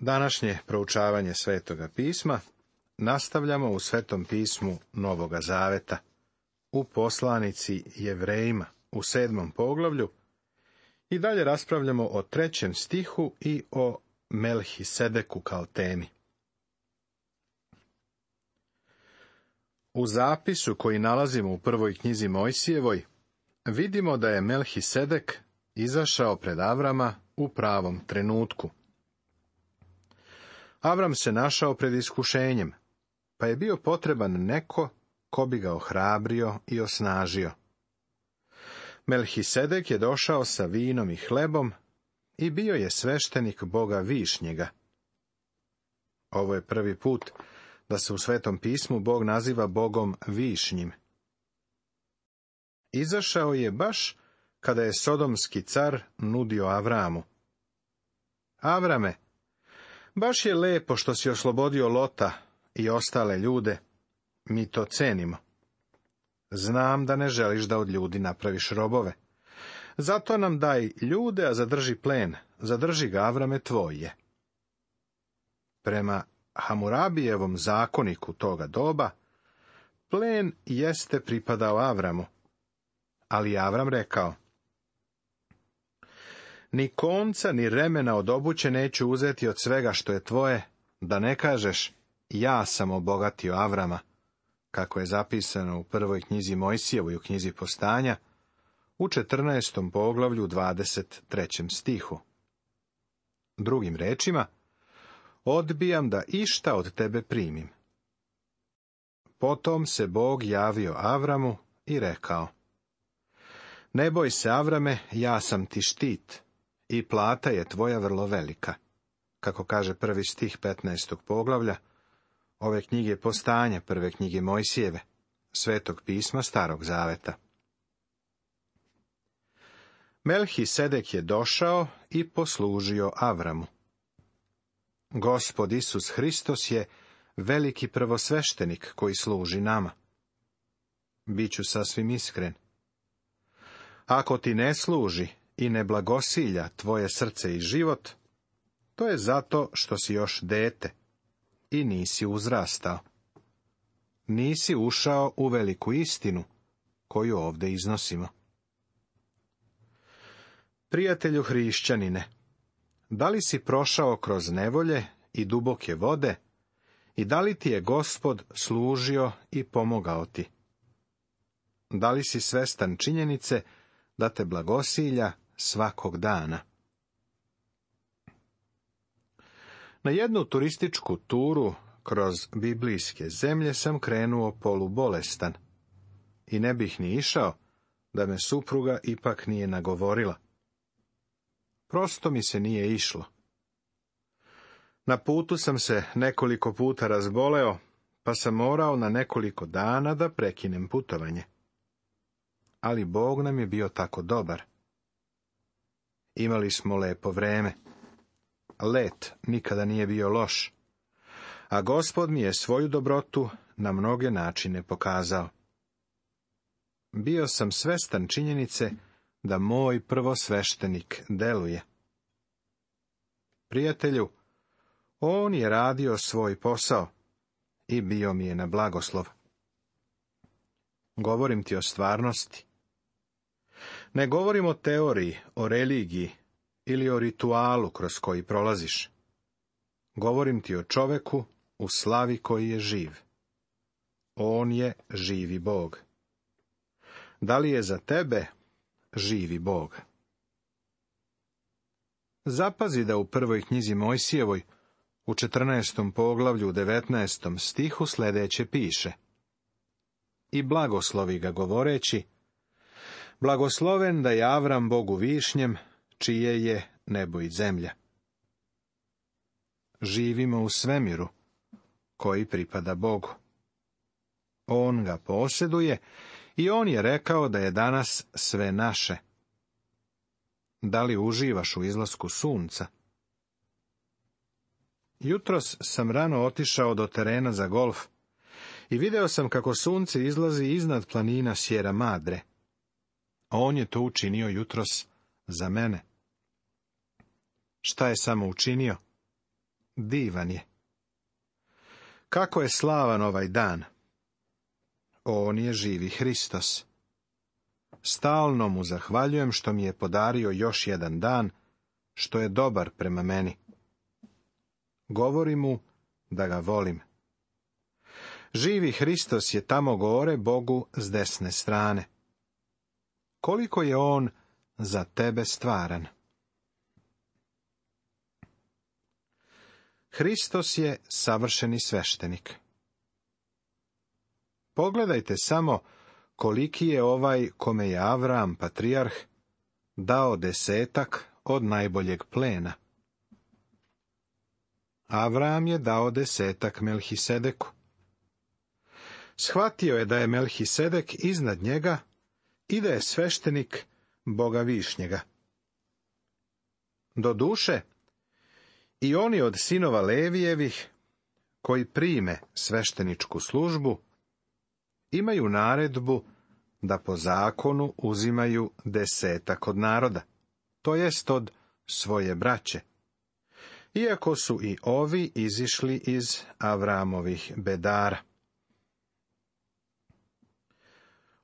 Današnje proučavanje Svetoga pisma nastavljamo u Svetom pismu Novoga Zaveta, u poslanici Jevrejima u 7. poglavlju i dalje raspravljamo o 3. stihu i o Melhisedeku kao temi. U zapisu koji nalazimo u prvoj knjizi Mojsijevoj vidimo da je Melhisedek izašao pred Avrama u pravom trenutku. Avram se našao pred iskušenjem, pa je bio potreban neko ko bi ga ohrabrio i osnažio. Melhisedek je došao sa vinom i hlebom i bio je sveštenik Boga Višnjega. Ovo je prvi put da se u Svetom pismu Bog naziva Bogom Višnjim. Izašao je baš kada je sodomski car nudio Avramu: Avrame, baš je lepo što si oslobodio Lota i ostale ljude, mi to cenimo. Znam da ne želiš da od ljudi napraviš robove. Zato nam daj ljude, a zadrži plen, zadrži ga, Avrame, tvoj je. Prema Hamurabijevom zakoniku toga doba, plen jeste pripadao Avramu, ali Avram rekao: ni konca, ni remena od obuće neću uzeti od svega što je tvoje, da ne kažeš, ja sam obogatio Avrama, kako je zapisano u prvoj knjizi Mojsijevoj u knjizi Postanja, u 14. poglavlju 23. stihu. Drugim rečima, odbijam da išta od tebe primim. Potom se Bog javio Avramu i rekao: ne boj se, Avrame, ja sam ti štit i plata je tvoja vrlo velika, kako kaže prvi stih 15. poglavlja ove knjige Postanja, prve knjige Mojsijeve, Svetog pisma Starog Zaveta. Melhisedek je došao i poslužio Avramu. Gospod Isus Hristos je veliki prvosveštenik koji služi nama. Biću sasvim iskren. Ako ti ne služi i ne blagosilja tvoje srce i život, to je zato što si još dete i nisi uzrastao. Nisi ušao u veliku istinu koju ovdje iznosimo. Prijatelju hrišćanine, da li si prošao kroz nevolje i duboke vode i da li ti je Gospod služio i pomogao ti? Da li si svestan činjenice da te blagosilja svakog dana? Na jednu turističku turu kroz biblijske zemlje sam krenuo polubolestan i ne bih ni išao da me supruga ipak nije nagovorila. Prosto mi se nije išlo. Na putu sam se nekoliko puta razboleo, pa sam morao na nekoliko dana da prekinem putovanje. Ali Bog nam je bio tako dobar. Imali smo lepo vreme. Let nikada nije bio loš, a Gospod mi je svoju dobrotu na mnoge načine pokazao. Bio sam svestan činjenice da moj prvosveštenik deluje. Prijatelju, on je radio svoj posao i bio mi je na blagoslov. Govorim ti o stvarnosti. Ne govorim o teoriji, o religiji ili o ritualu kroz koji prolaziš. Govorim ti o čoveku u slavi koji je živ. On je živi Bog. Da li je za tebe živi Bog? Zapazi da u prvoj knjizi Mojsijevoj, u 14. poglavlju 19. stihu sljedeće piše: i blagoslovi ga govoreći: blagosloven da je Avram Bogu Višnjem, čije je nebo i zemlja. Živimo u svemiru koji pripada Bogu. On ga posjeduje i on je rekao da je danas sve naše. Da li uživaš u izlasku sunca? Jutros sam rano otišao do terena za golf i video sam kako sunce izlazi iznad planina Sierra Madre. On je to učinio jutros za mene. Šta je samo učinio? divan je. Kako je slavan ovaj dan! On je živi Hristos. Stalno mu zahvaljujem što mi je podario još jedan dan, što je dobar prema meni. Govorim mu da ga volim. Živi Hristos je tamo gore Bogu s desne strane. Koliko je on za tebe stvaran. Hristos je savršeni sveštenik. Pogledajte samo koliki je ovaj kome je Avram, patrijarh, dao 10 od najboljeg plena. Avram je dao 10 Melhisedeku. Shvatio je da je Melhisedek iznad njega i da je sveštenik Boga višnjega. Doduše, i oni od sinova Levijevih, koji prime svešteničku službu, imaju naredbu da po zakonu uzimaju 10 od naroda, to jest od svoje braće, iako su i ovi izišli iz Avramovih bedara.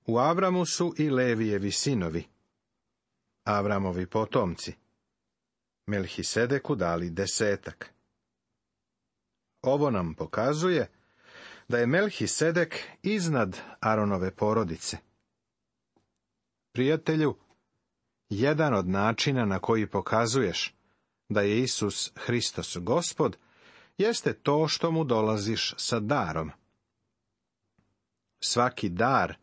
U Avramu su i Levijevi sinovi, Avramovi potomci, Melhisedeku dali 10. Ovo nam pokazuje da je Melhisedek iznad Aronove porodice. Prijatelju, jedan od načina na koji pokazuješ da je Isus Hristos Gospod, jeste to što mu dolaziš sa darom. Svaki dar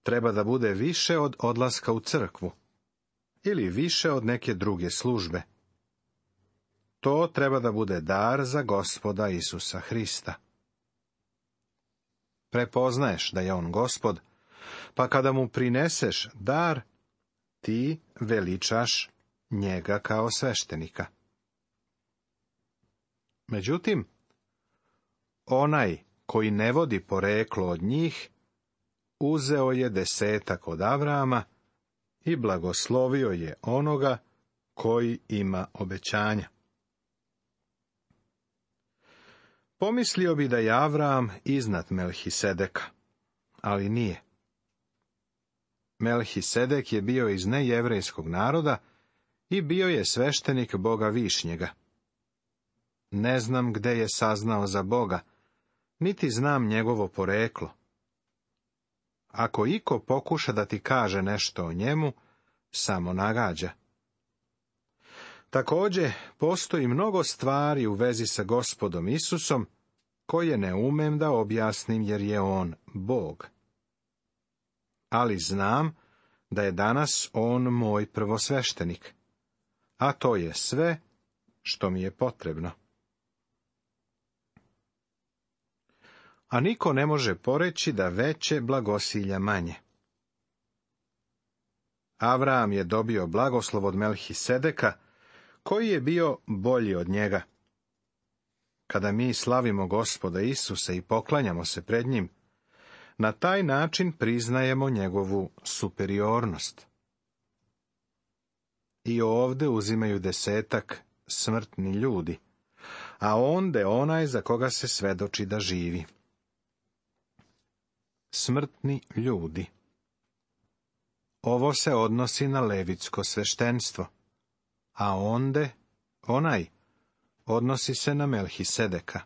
treba da bude više od odlaska u crkvu, ili više od neke druge službe. To treba da bude dar za Gospoda Isusa Hrista. Prepoznaješ da je on Gospod, pa kada mu prineseš dar, ti veličaš njega kao sveštenika. Međutim, onaj koji ne vodi poreklo od njih, uzeo je 10 od Avrama i blagoslovio je onoga koji ima obećanja. Pomislio bi da je Avram iznad Melhisedeka, ali nije. Melhisedek je bio iz nejevrejskog naroda i bio je sveštenik Boga višnjega. Ne znam gde je saznao za Boga, niti znam njegovo poreklo. Ako iko pokuša da ti kaže nešto o njemu, samo nagađa. Također, postoji mnogo stvari u vezi sa Gospodom Isusom, koje ne umem da objasnim jer je on Bog. Ali znam da je danas on moj prvosveštenik, a to je sve što mi je potrebno. A niko ne može poreći da veće blagosilja manje. Avram je dobio blagoslov od Melhisedeka, koji je bio bolji od njega. Kada mi slavimo Gospoda Isusa i poklanjamo se pred njim, na taj način priznajemo njegovu superiornost. I ovde uzimaju 10 smrtni ljudi, a onde onaj za koga se svedoči da živi. Smrtni ljudi. Ovo se odnosi na levitsko sveštenstvo, a onde onaj odnosi se na Melhisedeka.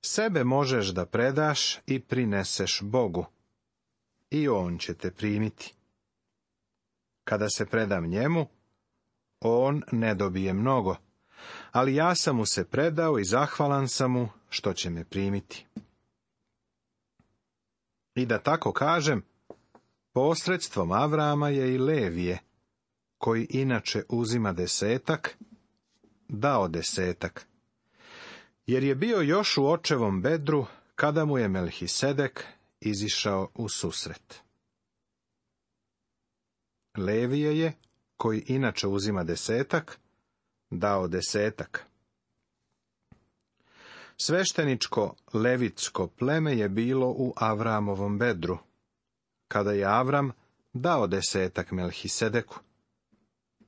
Sebe možeš da predaš i prineseš Bogu, i on će te primiti. Kada se predam njemu, on ne dobije mnogo, ali ja sam mu se predao i zahvalan sam mu što će me primiti. I da tako kažem, posredstvom Avrama je i Levije, koji inače uzima 10, dao 10, jer je bio još u očevom bedru kada mu je Melhisedek izišao u susret. Levije je, koji inače uzima 10, dao 10. Svešteničko levitsko pleme je bilo u Avramovom bedru, kada je Avram dao 10 Melhisedeku.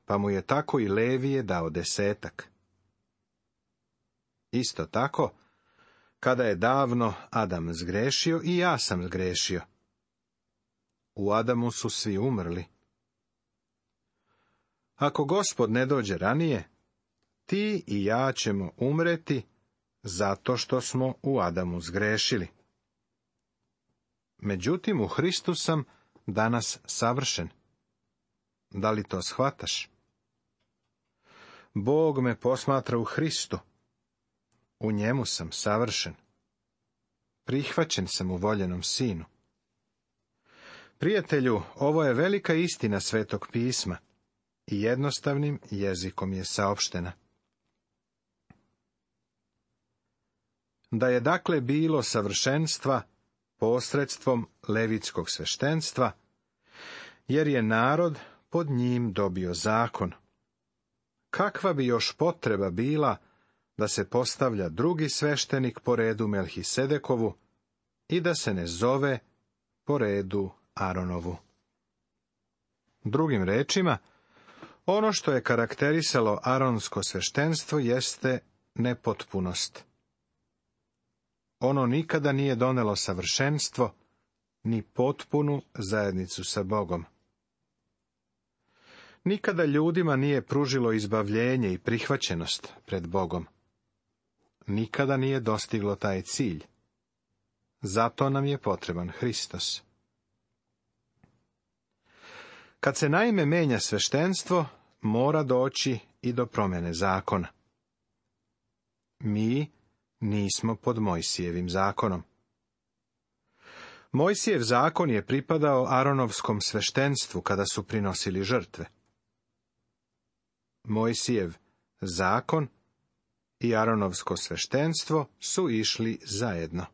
pa mu je tako i Levije dao 10. Isto tako, kada je davno Adam zgrešio, i ja sam zgrešio. U Adamu su svi umrli. Ako Gospod ne dođe ranije, ti i ja ćemo umreti zato što smo u Adamu zgrešili. Međutim, u Hristu sam danas savršen. Da li to shvataš? Bog me posmatra u Hristu. U njemu sam savršen. Prihvaćen sam u voljenom Sinu. Prijatelju, ovo je velika istina Svetog pisma i jednostavnim jezikom je saopštena. Da je dakle bilo savršenstva posredstvom levitskog sveštenstva, jer je narod pod njim dobio zakon. Kakva bi još potreba bila da se postavlja drugi sveštenik po redu Melhisedekovu i da se ne zove po redu Aronovu? Drugim rečima, ono što je karakterisalo aronsko sveštenstvo jeste nepotpunost. Ono nikada nije donelo savršenstvo, ni potpunu zajednicu sa Bogom. Nikada ljudima nije pružilo izbavljenje i prihvaćenost pred Bogom. Nikada nije dostiglo taj cilj. Zato nam je potreban Hristos. Kad se naime menja sveštenstvo, mora doći i do promjene zakona. Mi nismo pod Mojsijevim zakonom. Mojsijev zakon je pripadao Aronovskom sveštenstvu kada su prinosili žrtve. Mojsijev zakon i Aronovsko sveštenstvo su išli zajedno.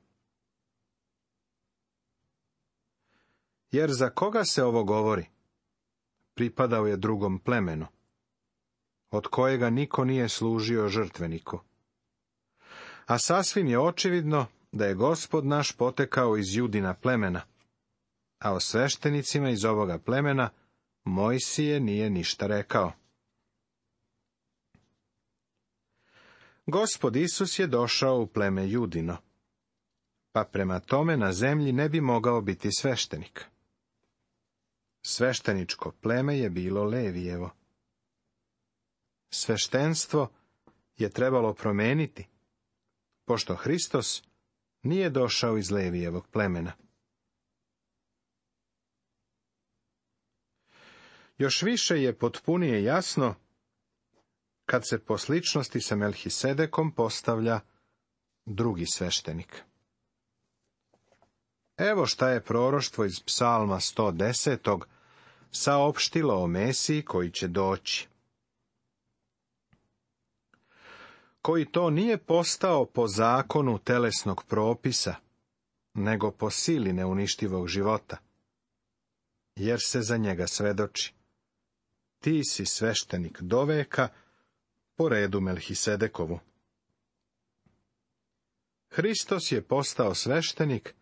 Jer za koga se ovo govori? Pripadao je drugom plemenu, od kojega niko nije služio žrtveniku. A sasvim je očividno da je Gospod naš potekao iz Judina plemena, a o sveštenicima iz ovoga plemena Mojsije nije ništa rekao. Gospod Isus je došao u pleme Judino, pa prema tome na zemlji ne bi mogao biti sveštenik. Svešteničko pleme je bilo Levijevo. Sveštenstvo je trebalo promeniti, pošto Hristos nije došao iz Levijevog plemena. Još više je potpunije jasno kad se po sličnosti sa Melhisedekom postavlja drugi sveštenik. Evo šta je proroštvo iz Psalma 110. saopštilo o Mesiji koji će doći. Koji to nije postao po zakonu telesnog propisa, nego po sili neuništivog života, jer se za njega svedoči. Ti si sveštenik doveka po redu Melhisedekovu. Hristos je postao sveštenik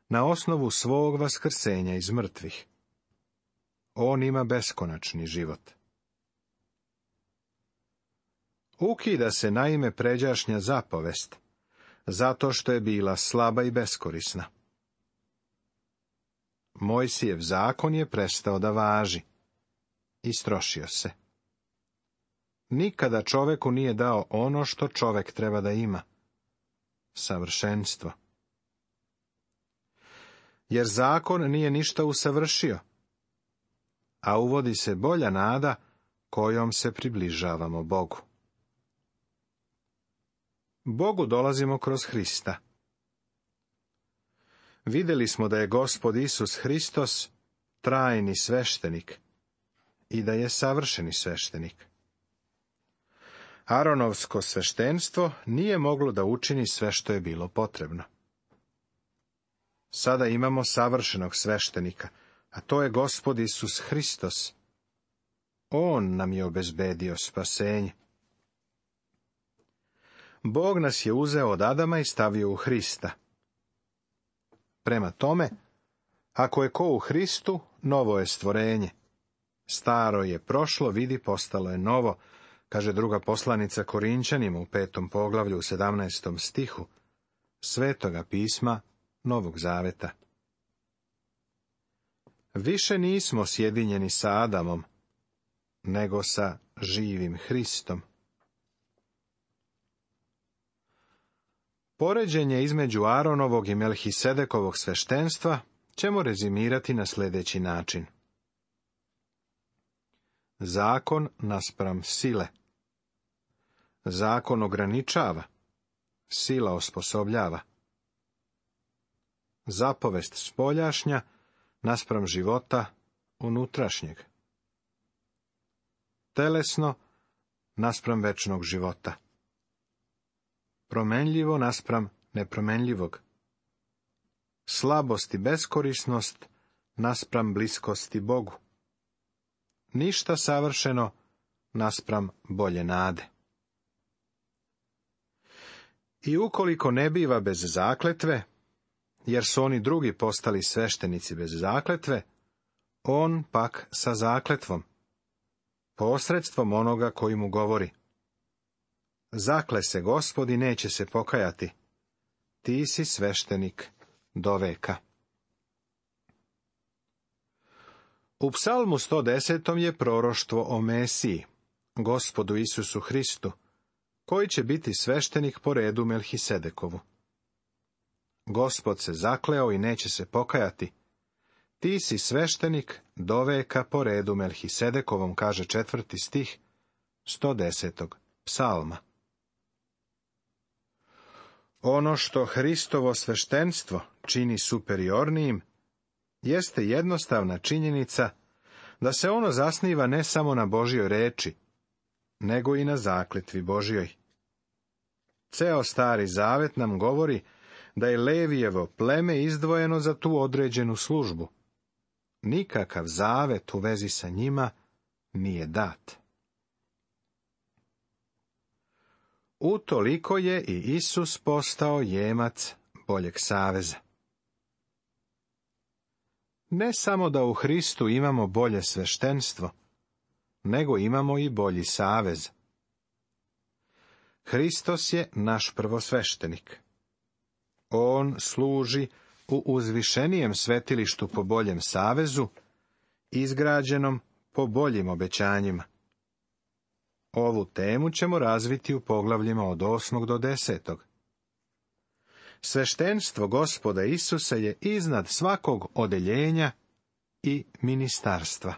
na osnovu svog vaskrsenja iz mrtvih. On ima beskonačni život. Ukida se naime pređašnja zapovest, zato što je bila slaba i beskorisna. Mojsijev zakon je prestao da važi. Istrošio se. Nikada čoveku nije dao ono što čovek treba da ima. Savršenstvo. Jer zakon nije ništa usavršio, a uvodi se bolja nada kojom se približavamo Bogu. Bogu dolazimo kroz Hrista. Vidjeli smo da je Gospod Isus Hristos trajni sveštenik i da je savršeni sveštenik. Aronovsko sveštenstvo nije moglo da učini sve što je bilo potrebno. Sada imamo savršenog sveštenika, a to je Gospod Isus Hristos. On nam je obezbedio spasenje. Bog nas je uzeo od Adama i stavio u Hrista. Prema tome, ako je ko u Hristu, novo je stvorenje. Staro je prošlo, vidi, postalo je novo, kaže druga poslanica Korinćanima u 5. poglavlju u 17. stihu Svetoga pisma Novog Zaveta. Više nismo sjedinjeni sa Adamom, nego sa živim Hristom. Poređenje između Aronovog i Melhisedekovog sveštenstva ćemo rezimirati na sljedeći način. Zakon naspram sile. Zakon ograničava, sila osposobljava. Zapovest spoljašnja naspram života unutrašnjeg. Telesno naspram večnog života. Promenljivo naspram nepromenljivog. Slabost i beskorisnost naspram bliskosti Bogu. Ništa savršeno naspram bolje nade. I ukoliko ne biva bez zakletve, jer su oni drugi postali sveštenici bez zakletve, on pak sa zakletvom, posredstvom onoga koji mu govori. Zakle se Gospod i neće se pokajati, ti si sveštenik do veka. U Psalmu 110. je proroštvo o Mesiji, Gospodu Isusu Hristu, koji će biti sveštenik po redu Melhisedekovu. Gospod se zakleo i neće se pokajati. Ti si sveštenik do veka po redu Melhisedekovom, kaže 4. stih 110. psalma. Ono što Hristovo sveštenstvo čini superiornijim, jeste jednostavna činjenica da se ono zasniva ne samo na Božjoj reči, nego i na zakletvi Božjoj. Ceo Stari Zavet nam govori da je Levijevo pleme izdvojeno za tu određenu službu. Nikakav zavet u vezi sa njima nije dat. Utoliko je i Isus postao jemac boljeg saveza. Ne samo da u Hristu imamo bolje sveštenstvo, nego imamo i bolji savez. Hristos je naš prvosveštenik. On služi u uzvišenijem svetilištu po boljem savezu, izgrađenom po boljim obećanjima. Ovu temu ćemo razviti u poglavljima od 8. do 10. Sveštenstvo Gospoda Isusa je iznad svakog odeljenja i ministarstva.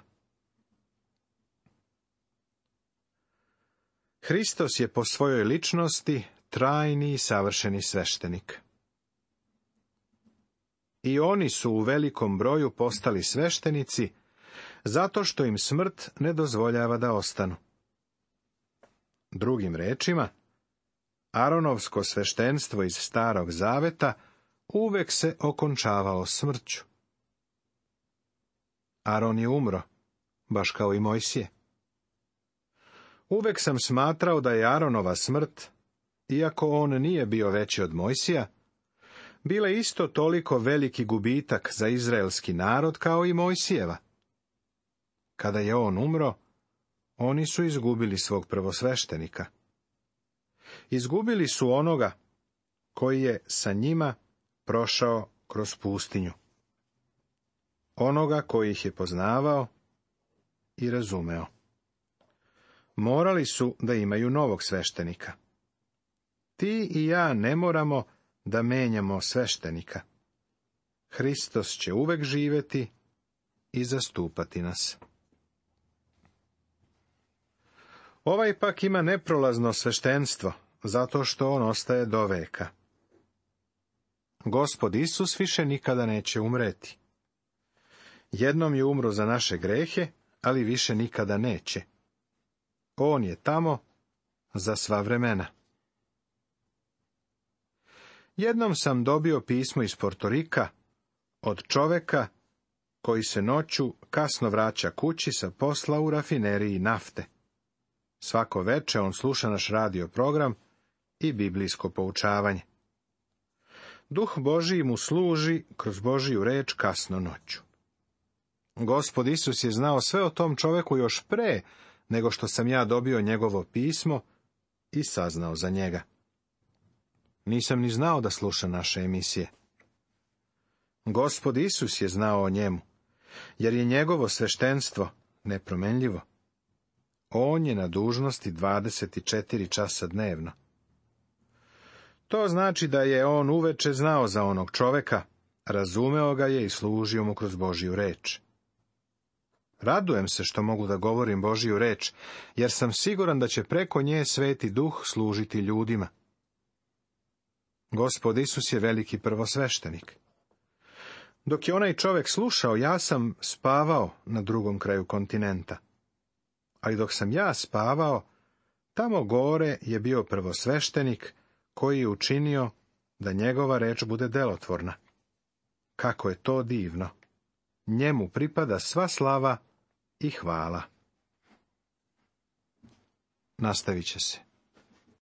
Hristos je po svojoj ličnosti trajni i savršeni sveštenik. I oni su u velikom broju postali sveštenici, zato što im smrt ne dozvoljava da ostanu. Drugim rečima, Aronovsko sveštenstvo iz Starog Zaveta uvek se okončavalo smrću. Aron je umro, baš kao i Mojsije. Uvek sam smatrao da je Aronova smrt, iako on nije bio veći od Mojsija, bila isto toliko veliki gubitak za izraelski narod kao i Mojsijeva. Kada je on umro, oni su izgubili svog prvosveštenika. Izgubili su onoga koji je sa njima prošao kroz pustinju. Onoga koji ih je poznavao i razumeo. Morali su da imaju novog sveštenika. Ti i ja ne moramo da menjamo sveštenika. Hristos će uvek živeti i zastupati nas. Ovaj pak ima neprolazno sveštenstvo, zato što on ostaje do veka. Gospod Isus više nikada neće umreti. Jednom je umro za naše grehe, ali više nikada neće. On je tamo za sva vremena. Jednom sam dobio pismo iz Portorika od čoveka koji se noću kasno vraća kući sa posla u rafineriji nafte. Svako veče on sluša naš radio program i biblijsko poučavanje. Duh Božiji mu služi kroz Božiju reč kasno noću. Gospod Isus je znao sve o tom čoveku još pre nego što sam ja dobio njegovo pismo i saznao za njega. Nisam ni znao da sluša naše emisije. Gospod Isus je znao o njemu, jer je njegovo sveštenstvo nepromenljivo. On je na dužnosti 24 časa dnevno. To znači da je on uveče znao za onog čoveka, razumeo ga je i služio mu kroz Božju reč. Radujem se što mogu da govorim Božju reč, jer sam siguran da će preko nje Sveti Duh služiti ljudima. Gospod Isus je veliki prvosveštenik. Dok je onaj čovek slušao, ja sam spavao na drugom kraju kontinenta. Ali dok sam ja spavao, tamo gore je bio prvosveštenik koji je učinio da njegova reč bude delotvorna. Kako je to divno! Njemu pripada sva slava i hvala. Nastavit će se.